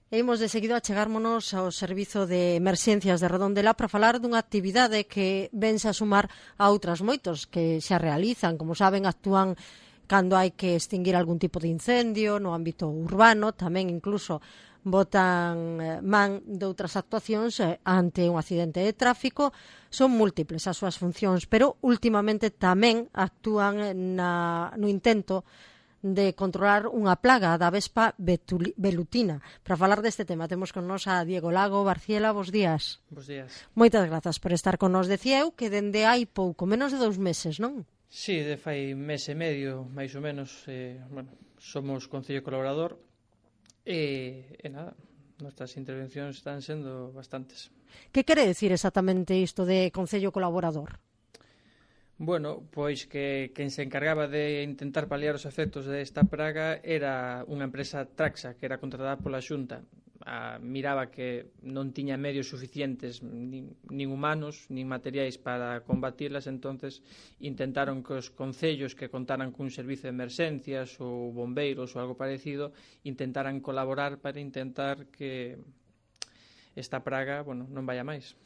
E imos de seguido a chegármonos ao Servizo de Emerxencias de Redondela para falar dunha actividade que vense a sumar a outras moitos que xa realizan. Como saben, actúan cando hai que extinguir algún tipo de incendio no ámbito urbano, tamén incluso botan man de outras actuacións ante un accidente de tráfico. Son múltiples as súas funcións, pero últimamente tamén actúan no intento de controlar unha plaga da vespa velutina. Para falar deste tema temos con nos a Diego Lago. Barciela, bos días. Bos días. Moitas grazas por estar con nos. Decía eu que dende hai pouco, menos de 2 meses, non? Sí, de fai mes e medio, máis ou menos, somos Concello Colaborador e nada, nosas intervencións están sendo bastantes. Que quere decir exactamente isto de Concello Colaborador? Bueno, pois que quen se encargaba de intentar paliar os efectos desta praga era unha empresa Traxa, que era contratada pola Xunta. Miraba que non tiña medios suficientes, nin humanos, nin materiais para combatilas, entonces intentaron que os concellos que contaran cun servizo de emerxencias ou bombeiros ou algo parecido intentaran colaborar para intentar que esta praga, non vaya máis.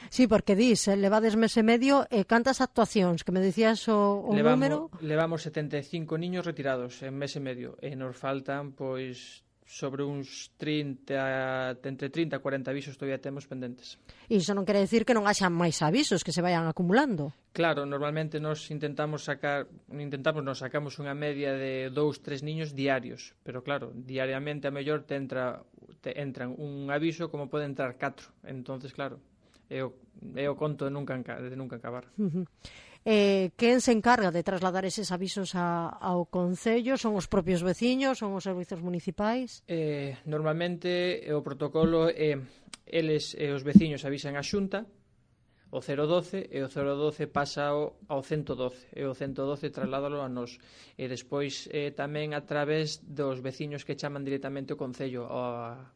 Sí, porque levades mes e medio, cantas actuacións, que me dicías o número? Levamos 75 niños retirados en mes e medio, e nos faltan, pois, sobre uns 30, entre 30 e 40 avisos todavía temos pendentes. E iso non quere decir que non haxan máis avisos que se vayan acumulando? Claro, normalmente nos sacamos unha media de 2-3 niños diarios, pero claro, diariamente a mellor te entran un aviso como pode entrar 4, entonces claro, é o conto de nunca acabar. Quen se encarga de trasladar eses avisos ao Concello? Son os propios veciños? Son os servizos municipais? Normalmente o protocolo os veciños avisan a Xunta, o 012, e o 012 pasa ao 112, e o 112 trasladalo a nós. E despois tamén a través dos veciños que chaman directamente o Concello a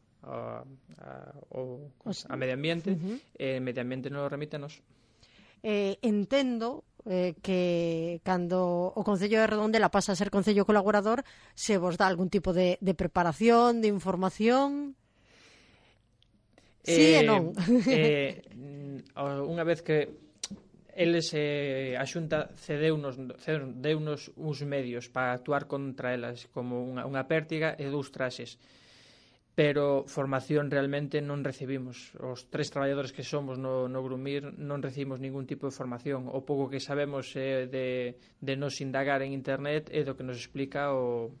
Medio Ambiente, e Medio Ambiente nos remite a nós. Entendo que cando o Concello de Redondela pasa a ser Concello Colaborador, se vos dá algún tipo de preparación, de información? Sí e non. Unha vez que eles, a Xunta deunos uns medios para actuar contra elas, como unha pértiga e 2 traxes, pero formación realmente non recibimos. Os 3 traballadores que somos no Grumir non recibimos ningún tipo de formación. O pouco que sabemos de nos indagar en internet é do que nos explica o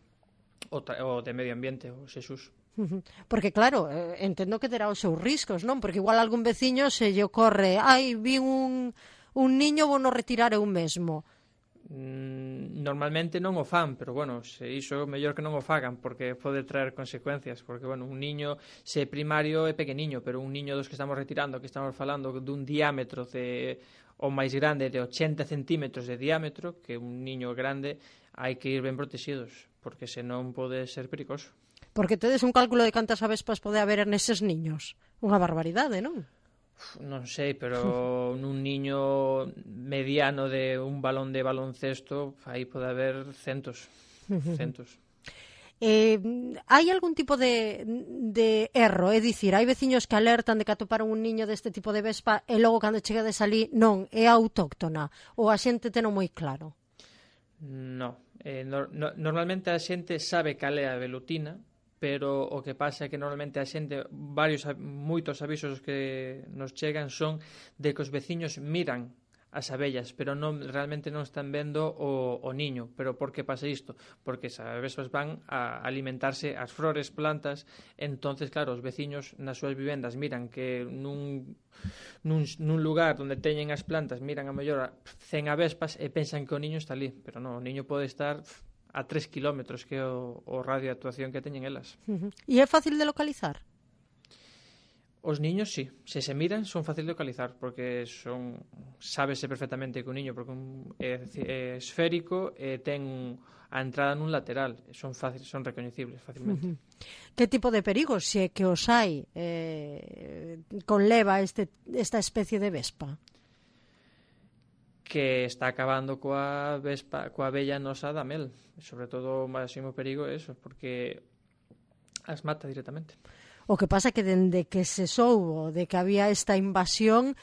de Medio Ambiente, o Xesús. Porque claro, entendo que terá os seus riscos, non? Porque igual algún veciño se lle ocorre, vi un niño, vou no retirar eu mesmo. Normalmente non o fan, pero se iso é mellor que non o fagan, porque pode traer consecuencias, porque un niño, se primario é pequeniño, pero un niño dos que estamos retirando, que estamos falando dun diámetro o máis grande de 80 centímetros de diámetro, que un niño grande, hai que ir ben protegidos, porque senón pode ser perigoso. Porque tedes un cálculo de cantas avespas pode haber neses niños? Unha barbaridade, non? Non sei, pero nun niño mediano de un balón de baloncesto, aí pode haber centos. Hai algún tipo de erro? É dicir, hai veciños que alertan de que atoparon un niño deste tipo de vespa e logo cando chegades ali, non, é autóctona? Ou a xente teno moi claro? Non. Normalmente a xente sabe cal é a velutina, pero o que pasa é que normalmente a xente, moitos avisos que nos chegan son de que os veciños miran as abellas, pero realmente non están vendo o niño. Pero por que pasa isto? Porque as abellas van a alimentarse as flores, plantas, entonces claro, os veciños nas súas vivendas miran que nun lugar onde teñen as plantas, miran a mellor 100 avespas e pensan que o niño está ali, pero non, o niño pode estar a 3 kilómetros, que é o radio de actuación que teñen elas. E é fácil de localizar? Os niños, sí. Se miran, son fácil de localizar, porque sábese perfectamente que un niño, porque é esférico e ten a entrada nun lateral. Son recoñecibles facilmente. Que tipo de perigos, se que os hai, conleva esta especie de vespa? Que está acabando coa abella nosa da mel. Sobre todo o máximo perigo é eso, porque As mata directamente. O que pasa que dende que se soubo de que había esta invasión,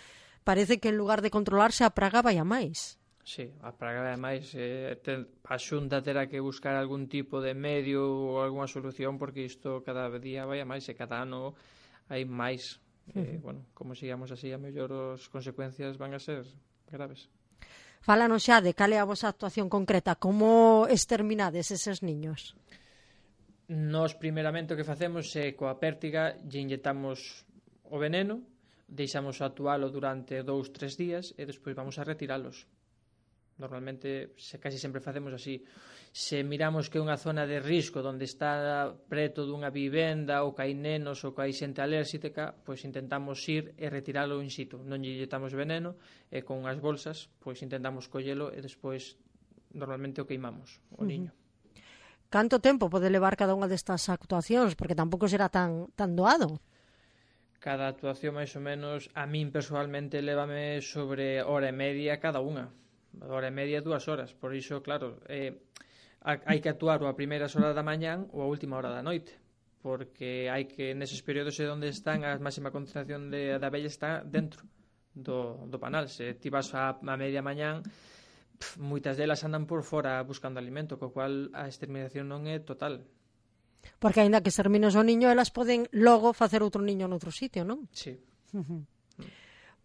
parece que en lugar de controlarse a praga vai a máis. Sí, a praga ademais a Xunta terá que buscar algún tipo de medio ou algunha solución porque isto cada día vai a máis e cada ano hai máis. Bueno, como sigamos así, a mellor as consecuencias van a ser graves. Fálanos xa de cal é a vosa actuación concreta, como exterminades eses niños? Nós, primeiramente, o que facemos é coa pértiga lle inyectamos o veneno, deixamos actualo durante 2-3 días e despois vamos a retiralos. Normalmente, casi sempre facemos así. Se miramos que é unha zona de risco onde está preto dunha vivenda ou que hai nenos ou que hai xente alérxica, pois intentamos ir e retiralo in situ. Non lle inyectamos veneno e con unhas bolsas pois intentamos collelo e despois normalmente o queimamos, o niño. Canto tempo pode levar cada unha destas actuacións? Porque tampouco será tan doado. Cada actuación, máis ou menos, a min personalmente lévame sobre hora e media cada unha. Hora e media, 2 horas. Por iso, claro, hai que actuar ou a primeiras horas da mañán ou a última hora da noite. Porque hai que, neses períodos onde están, a máxima concentración de abellas está dentro do panal. Se ti vas a media mañán, moitas delas andan por fora buscando alimento, co cual a exterminación non é total. Porque aínda que extermines o niño, elas poden logo facer outro niño noutro sitio, non? Sí.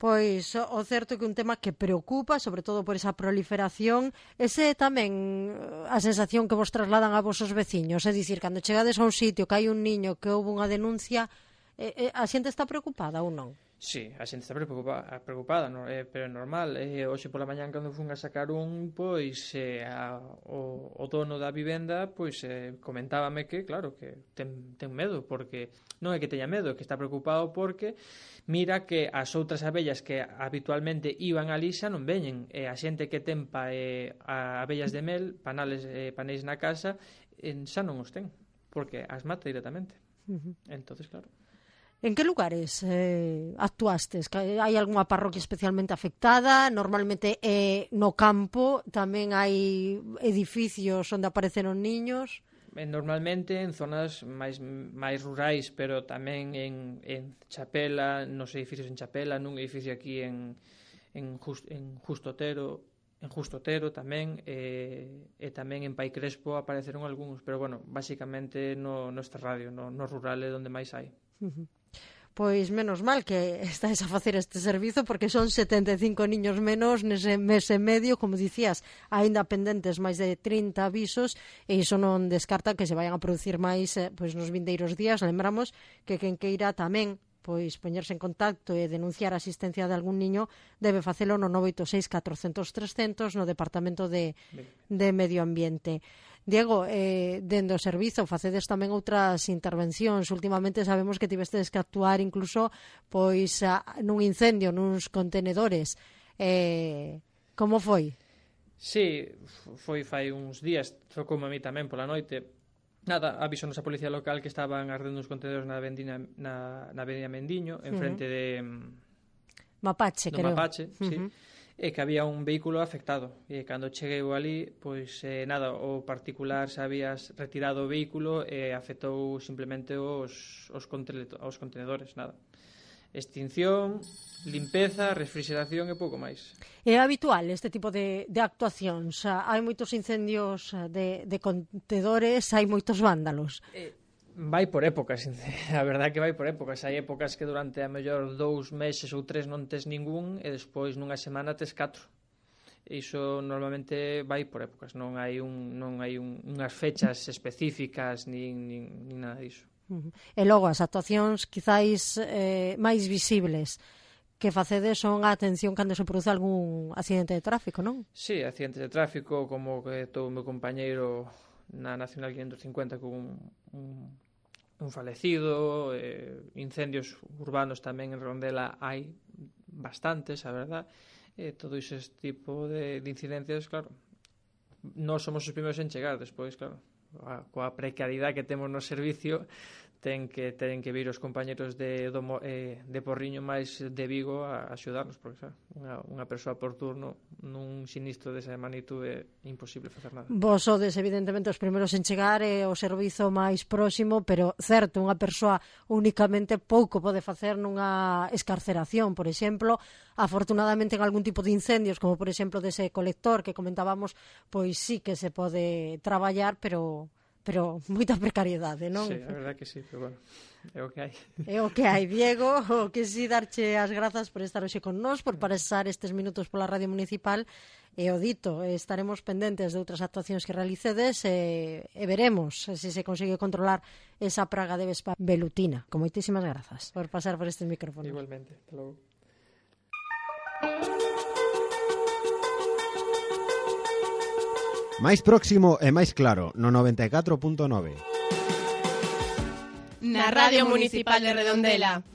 Pois o certo é que un tema que preocupa, sobre todo por esa proliferación, ese tamén a sensación que vos trasladan a vosos veciños, é dicir, cando chegades a un sitio que hai un niño que houve unha denuncia, a xente está preocupada ou non? Sí, a xente está preocupada, pero é normal. Hoxe pola mañán cando fun a sacar pois o dono da vivenda pois comentábame que, claro, que ten medo, porque non é que teña medo, é que está preocupado porque mira que as outras abellas que habitualmente iban ali xa non veñen, e a xente que ten abellas de mel, panéis na casa, xa non os ten, porque as mata directamente. Entonces, claro. En que lugares actuastes? Hai algunha parroquia especialmente afectada? Normalmente no campo tamén hai edificios onde apareceron niños? Normalmente en zonas máis rurais, pero tamén en Chapela, nos edificios en Chapela, nun edificio aquí en Justo Otero tamén, e tamén en Pai Crespo apareceron algúns, pero bueno, basicamente no extrarradio, no rural é onde máis hai. Pois menos mal que estáis a facer este servizo, porque son 75 niños menos nese mes e medio, como dicías, aínda pendentes máis de 30 avisos, e iso non descarta que se vayan a producir máis pois nos vindeiros días. Lembramos que quen queira tamén pois poñerse en contacto e denunciar a asistencia de algún niño debe facelo no 986 400 300 no Departamento de Medio Ambiente. Diego, dende o servizo facedes tamén outras intervencións. Últimamente sabemos que tivestes que actuar incluso pois nun incendio nuns contenedores. Como foi? Sí, foi fai uns días, tocoume a mí tamén pola noite. Nada, avisonos a policía local que estaban ardendo uns contenedores na avenida Mendiño, en frente de Mapache, creo. Mapache, sí. E que había un vehículo afectado, e cando cheguei ali, pois nada, o particular se había retirado o vehículo e afectou simplemente os contenedores, nada. Extinción, limpeza, refrigeración e pouco máis. É habitual este tipo de actuacións? Hai moitos incendios de contenedores, hai moitos vándalos? Vai por épocas, a verdade é que vai por épocas. Hai épocas que durante a mellor 2 meses ou 3 non tes ningún e despois nunha semana tes 4. Iso normalmente vai por épocas, non hai unhas fechas específicas nin nada diso. E logo as actuacións quizáis máis visibles que facedes son a atención cando se produce algún accidente de tráfico, non? Sí, accidentes de tráfico, como que todo o meu compañeiro na Nacional 550 con un falecido, incendios urbanos tamén en Redondela hai bastantes, a verdad, todo ese tipo de incidencias, claro, non somos os primeiros en chegar, despois, claro, coa precariedade que temos no servicio, ten que vir os compañeros de Porriño máis de Vigo a axudarnos, porque xa, unha persoa por turno nun sinistro desa magnitude é imposible facer nada. Vos sodes evidentemente os primeiros en chegar e o servizo máis próximo, pero certo, unha persoa únicamente pouco pode facer nunha escarceración, por exemplo. Afortunadamente en algún tipo de incendios, como por exemplo dese colector que comentábamos, pois sí que se pode traballar, pero moita precariedade, non? Sí, a verdade que sí, pero bueno, é o que hai. É o que hai, Diego, o que sí darche as grazas por estar hoxe con nós, por pasar estes minutos pola Radio Municipal, e o dito, estaremos pendentes de outras actuacións que realicedes e veremos se se consigue controlar esa praga de vespa velutina. Con moitísimas grazas por pasar por estes micrófonos. Igualmente, hasta logo. Máis próximo e máis claro, no 94.9. Na Radio Municipal de Redondela.